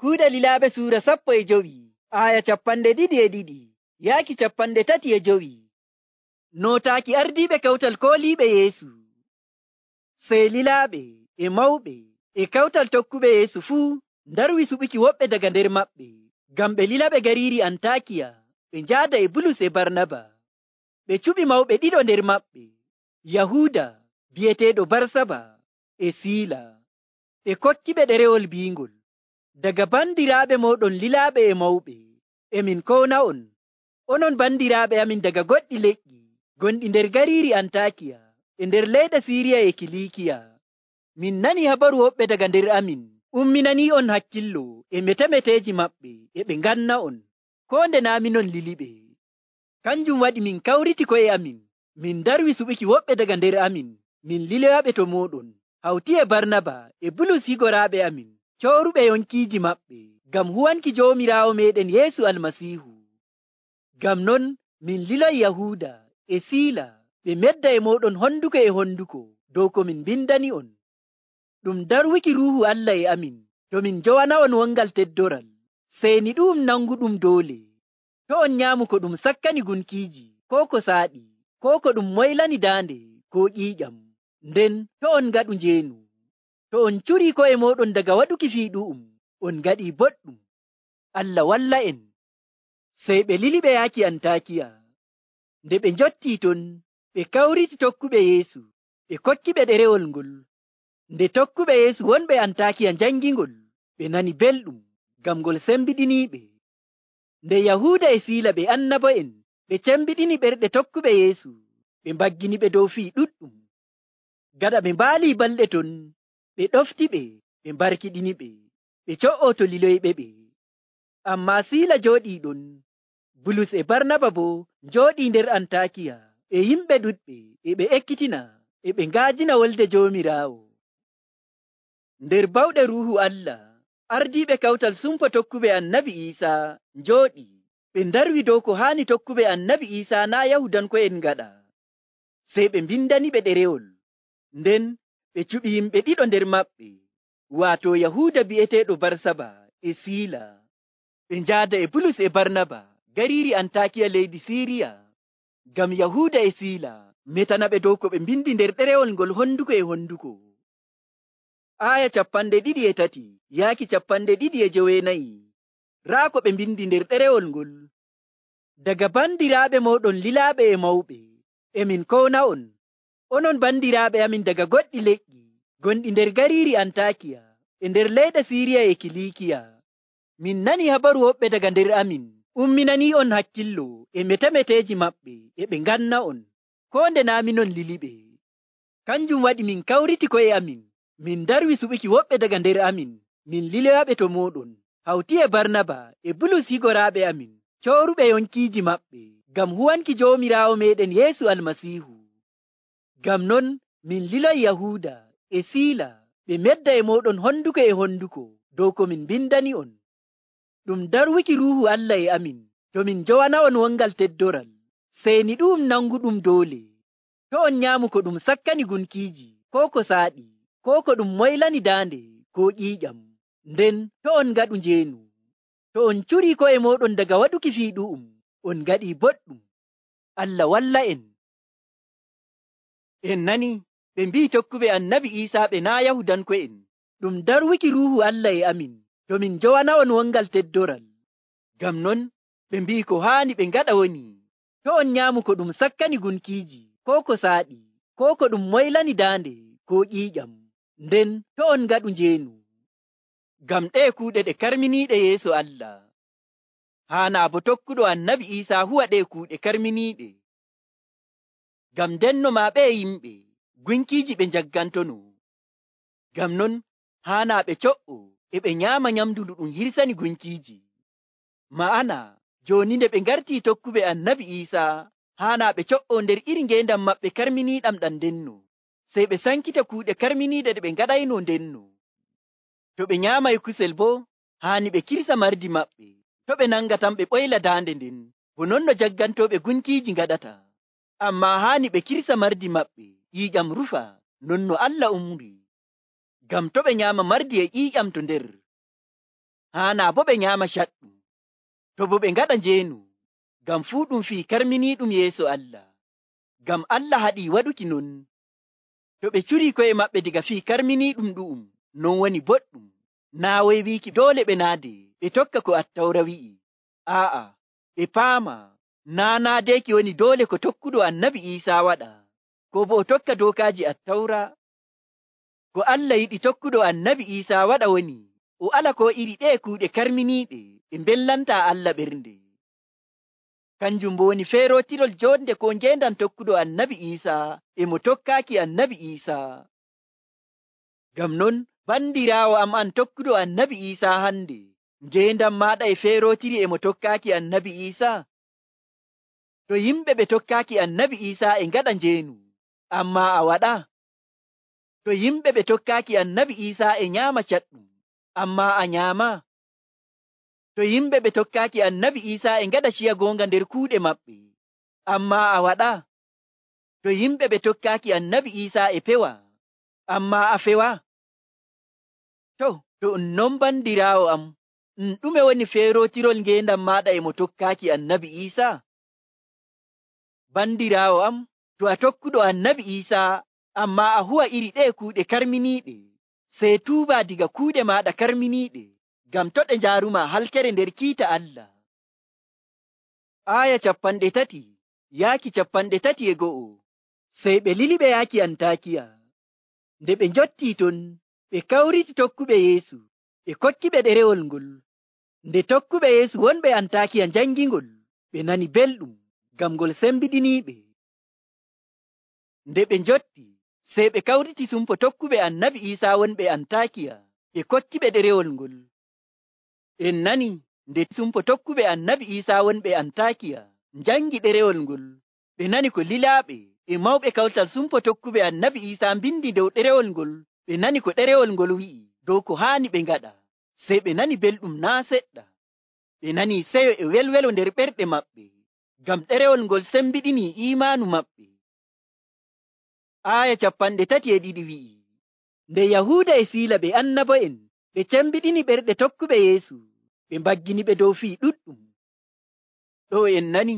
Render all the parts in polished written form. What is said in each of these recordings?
Kuuɗe Lilaaɓe suura 15 aya 22 yaaki 35. Nootaaki ardiiɓe kawtal kooliiɓe Yeesu. Sey lilaaɓe e mawɓe e kawtal tokkuɓe Yeesu fuu ndarwi suɓuki woɓɓe daga nder maɓɓe, ngam ɓe lilaɓe gariiri Antaakiya ɓe njaada e Bulus e Barnaba. Ɓe cuɓi mawɓe ɗiɗo nder maɓɓe, Yahuuda bi'eteeɗo Barsaba e Siila. Ɓe kokkiɓe ɗerewol biingol, daga bandiraaɓe mooɗon lilaaɓe e mawɓe, emin kowna'on, onon bandiraaɓe amin daga goɗɗi leƴƴi gonɗi nder gariiri Antaakiya e nder leyɗe Siiriya e Kiliikiya. Min nani habaru woɓɓe daga nder amin umminanii'on hakkillo e metemeteeji maɓɓe e ɓe nganna'on, koo nde naa' minon liliɓe. Kanjum waɗi min kawriti ko'e amin, min ndarwi suɓuki woɓɓe daga nder amin, min liloyaɓe to mooɗon, hawti e Barnaba e Bulus higoraaɓe amin, cooruɓe yonkiiji maɓɓe, ngam huwanki Joomiraawo meeɗen Yeesu Almasiihu. Ngam non min liloyi Yahuuda e Siila ɓe medda e mooɗon honduko e honduko dow ko min mbindani'on. Ɗum darwuki Ruuhu Allah e amin to min njowana'on wongal teddoral, seyni ɗu'um nanguɗum doole. To on nyaamu ko ɗum sakkani gunkiiji, koo ko saaɗi, koo ko ɗum moylani daande, koo ƴiiƴam. Nden to on ngaɗu njeenu. To on curii ko'e mooɗon daga waɗuki fii ɗu'um, on ngaɗii boɗɗum. Allah walla en. Sey ɓe lili ɓe yaaki Antaakiya. Nde ɓe njottii ton, ɓe kawriti tokkuɓe Yeesu, ɓe kokkiɓe ɗerewol ngol. Nde tokkuɓe Yeesu wonɓe Antaakiya njangingol, ɓe nani belɗum, ngam ngol sembiɗiniiɓe. Nde Yahuuda e Siila ɓe annabo'en ɓe cembiɗini ɓerɗe tokkuɓe Yeesu, ɓe mbagginiɓe dow fii ɗuɗɗum. Gaɗa ɓe mbaalii balɗe ton, ɓe ɗoftiɓe, ɓe mbarkiɗiniɓe, ɓe co'ooto liloyɓe ɓe. Ammaa Siila jooɗii ɗon, Bulus e Barnaba boo njooɗii nder Antaakiya e yimɓe ɗuɗɓe, e ɓe ekkitina, e ɓe ngaajina wolde Joomiraawo. Nder bawɗe Ruuhu Allah, ardiiɓe kawtal sumpo tokkuɓe Annabi Iisaa njooɗii, ɓe ndarwi dow ko haani tokkuɓe Annabi Iisaa naa' Yahudanko'en ngaɗa. Sey ɓe mbindaniɓe ɗerewol, nden ɓe cuɓi yimɓe ɗiɗo nder maɓɓe, waato Yahuuda bi'eteeɗo Barsaba e Siila. Ɓe njaada e Bulus e Barnaba gariiri Antaakiya leydi Siiriya, ngam Yahuuda e Siila metanaɓe dow ko ɓe mbindi nder ɗerewol ngol honduko e honduko. Aya 23 yaaki 24. Raa ko ɓe mbindi nder ɗerewol ngol. Daga bandiraaɓe mooɗon lilaaɓe e mawɓe, emin kowna'on, onon bandiraaɓe amin daga goɗɗi leƴƴi gonɗi nder gariiri Antaakiya e nder leyɗe Siiriya e Kiliikiya. Min nani habaru woɓɓe daga nder amin umminanii'on hakkillo e metemeteeji maɓɓe e ɓe nganna'on, koo nde naa' minon liliɓe. Kanjum waɗi min kawriti ko'e amin, min ndarwi suɓuki woɓɓe daga nder amin, min liloyaɓe to mooɗon, hawti e Barnaba e Bulus higoraaɓe amin, cooruɓe yonkiiji maɓɓe, ngam huwanki Joomiraawo meeɗen Yeesu Almasiihu. Ngam non min liloyi Yahuuda e Siila ɓe medda e mooɗon honduko e honduko dow ko min mbindani'on. Ɗum darwuki Ruuhu Allah e amin to min njowana'on wongal teddoral, seyni ɗu'um nanguɗum doole. To on nyaamu ko ɗum sakkani gunkiiji, koo ko saaɗi, koo ko ɗum moylani daande, koo ƴiiƴam. Nden to on ngaɗu njeenu. To on curii ko'e mooɗon daga waɗuki fii ɗu'um, on ngaɗii boɗɗum. Allah walla en. En nani ɓe mbi'i tokkuɓe Annabi Iisaa ɓe naa' Yahudanko'en. Ɗum darwuki Ruuhu Allah e amin to min njowana'on wongal teddoral. Ngam non ɓe mbi'i ko haani ɓe ngaɗa woni, to on nyaamu ko ɗum sakkani gunkiiji, koo ko saaɗi, koo ko ɗum moylani daande, koo ƴiiƴam. Nden to on ngaɗu njeenu. Ngam ɗee kuuɗe ɗe karminiiɗe yeeso Allah. Haanaa bo tokkuɗo Annabi Iisaa huwa ɗee kuuɗe karminiiɗe. Ngam ndenno maa ɓe yimɓe gunkiiji ɓe njaggantono. Ngam non haanaa ɓe co'o e ɓe nyaama nyamndu ndu ɗum hirsani gunkiiji. Ma'ana jooni nde ɓe ngartii tokkuɓe Annabi Iisaa, haanaa ɓe co'o nder iri ngeendam maɓɓe karminiiɗam ɗam ndenno, sey ɓe sankita kuuɗe karminiiɗe ɗe ɓe ngaɗayno ndenno. To ɓe nyaamay kusel boo, haani ɓe kirsa mardi maɓɓe, to ɓe nanga tan ɓe ɓoyla daande nden, bo non no jaggantooɓe gunkiiji ngaɗata. Ammaa haani ɓe kirsa mardi maɓɓe, ƴiiƴam rufa, non no Allah umri. Ngam to ɓe nyaama mardi e ƴiiƴam to nder, haana bo ɓe nyaama caɗɗum, to bo ɓe ngaɗa njeenu, ngam fuu ɗum fii karminiiɗum yeeso Allah. Ngam Allah haɗii waɗuki non. To ɓe curii ko'e maɓɓe diga fii karminiiɗum ɗu'um, non woni boɗɗum. Naa woy wiiki doole ɓe naade ɓe tokka ko Attawra wi'i. Aa'a, ɓe paama naa naadeeki woni doole ko tokkuɗo Annabi Iisaa waɗa, ko bo o tokka dookaaji Attawra. Ko Allah yiɗi tokkuɗo Annabi Iisaa waɗa woni o ala ko iri ɗee kuuɗe karminiiɗe ɗe mbellantaa Allah ɓernde. Kanjum bo woni feerootirol joonde ko ngeendam tokkuɗo Annabi Iisaa e mo tokkaaki Annabi Iisaa. Ngam non, bandiraawo am an tokkuɗo Annabi Iisaa hande, ngeendam maaɗa e feerootiri e mo tokkaaki Annabi Iisaa. To yimɓe ɓe tokkaaki Annabi Iisaa e ngaɗa njeenu, ammaa a waɗaa. To yimɓe ɓe tokkaaki Annabi Iisaa e nyaama caɗɗum, ammaa a nyaamaa. To yimɓe ɓe tokkaaki Annabi Iisaa e ngaɗa ciya goonga nder kuuɗe maɓɓe, ammaa a waɗaa. To yimɓe ɓe tokkaaki Annabi Iisaa e pewa, ammaa a fewaa. To non bandiraawo am, ɗume woni feerootirol ngeendam maaɗa e mo tokkaaki Annabi Iisaa? Bandiraawo am, to a tokkuɗo Annabi Iisaa, ammaa a huwa iri ɗee kuuɗe karminiiɗe, sey tuubaa diga kuuɗe maaɗa karminiiɗe, ngam to ɗe njaarumaa halkere nder kiita Allah. Aaya 30 yaaki 31. Sey ɓe lili ɓe yaaki Antaakiya. Nde ɓe njottii ton, ɓe kawriti tokkuɓe Yeesu, ɓe kokkiɓe ɗerewol ngol. Nde tokkuɓe Yeesu wonɓe Antaakiya njangingol, ɓe nani belɗum, ngam ngol sembiɗiniiɓe. Nde ɓe njotti, sey ɓe kawriti sumpo tokkuɓe Annabi Iisaa wonɓe Antaakiya, ɓe kokkiɓe ɗerewol ngol. En nani, nde sumpo tokkuɓe Annabi Iisaa wonɓe Antaakiya njangi ɗerewol ngol, ɓe nani ko lilaaɓe e mawɓe kawtal sumpo tokkuɓe Annabi Iisaa mbindi dow ɗerewol ngol, ɓe nani ko ɗerewol ngol wi'i dow ko haani ɓe ngaɗa, sey ɓe nani belɗum naa seɗɗa. Ɓe nani seyo e welwelo nder ɓerɗe maɓɓe, ngam ɗerewol ngol sembiɗinii iimaanu maɓɓe. Aaya 32 wi'i, nde Yahuuda e Siila ɓe annabo'en ɓe cembiɗini ɓerɗe tokkuɓe Yeesu, ɓe mbaggini ɓe dow fii ɗuɗɗum. Ɗo en nani,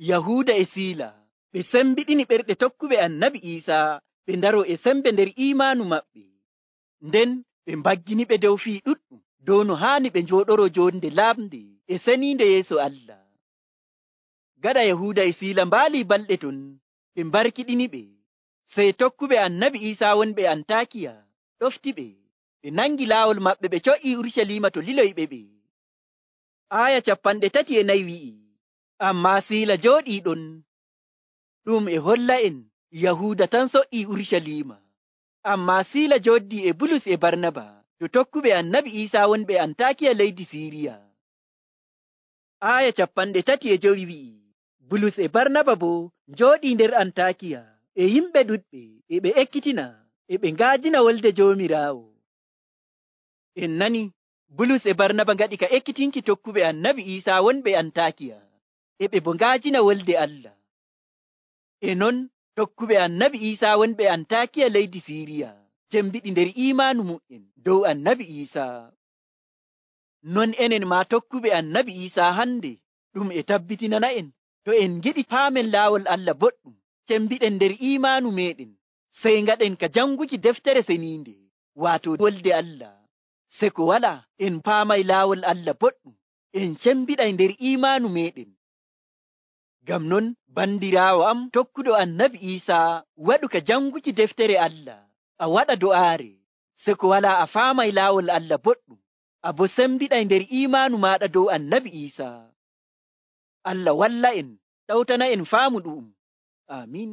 Yahuuda e Siila ɓe sembiɗini ɓerɗe tokkuɓe Annabi Iisaa ɓe ndaro e sembe nder iimaanu maɓɓe, nden ɓe mbaggini ɓe dow fii ɗuɗɗum dow no haani ɓe njooɗoro jonde laaɓnde e seniinde yeeso Allah. Gaɗa Yahuuda e Siila mbaalii balɗe ton, ɓe mbarkiɗini ɓe, sey tokkuɓe Annabi Iisaa wonɓe Antaakiya ɗofti ɓe, ɓe nangi laawol maɓɓe ɓe co'ii Urucaliima to liloyɓe ɓe. Aaya 34 wi'i, ammaa Siila jooɗii ɗon. Ɗum e holla en Yahuuda tan so''ii Urucaliima, ammaa Siila jooddii e Bulus e Barnaba to tokkuɓe Annabi Iisaa wonɓe Antaakiya leydi Siiriya. Aaya 35 wi'i, Bulus e Barnaba boo njooɗii nder Antaakiya e yimɓe ɗuɗɓe e ɓe ekkitina e ɓe ngaajina wolde Joomiraawo. En nani, Bulus e Barnaba ngaɗi ka ekkitinki tokkuɓe Annabi Iisaa wonɓe Antaakiya, e ɓe bo ngaajina wolde Allah. E non, tokkuɓe Annabi Iisaa wonɓe Antaakiya leydi Siiriya jembiɗi nder iimaanu mu'en dow Annabi Iisaa. Non enen maa tokkuɓe Annabi Iisaa hande, ɗum e tabbitinana en, to en ngiɗi paamen laawol Allah boɗɗum, cembiɗen nder iimaanu meɗen, sey ngaɗen ka janguki deftere seniinde, waato wolde Allah. Se ko walaa en paamay laawol Allah boɗɗum, en cembiɗay nder iimaanu meɗen. Ngam non, bandiraawo am tokkuɗo Annabi Iisaa, waɗu ka janguki deftere Allah, a waɗa do'aare, se ko walaa a faamay laawol Allah boɗɗum, a bo sembiɗay nder iimaanu maaɗa dow Annabi Iisaa. Allah walla en, ɗawtana en faamu ɗu'um. Amiin.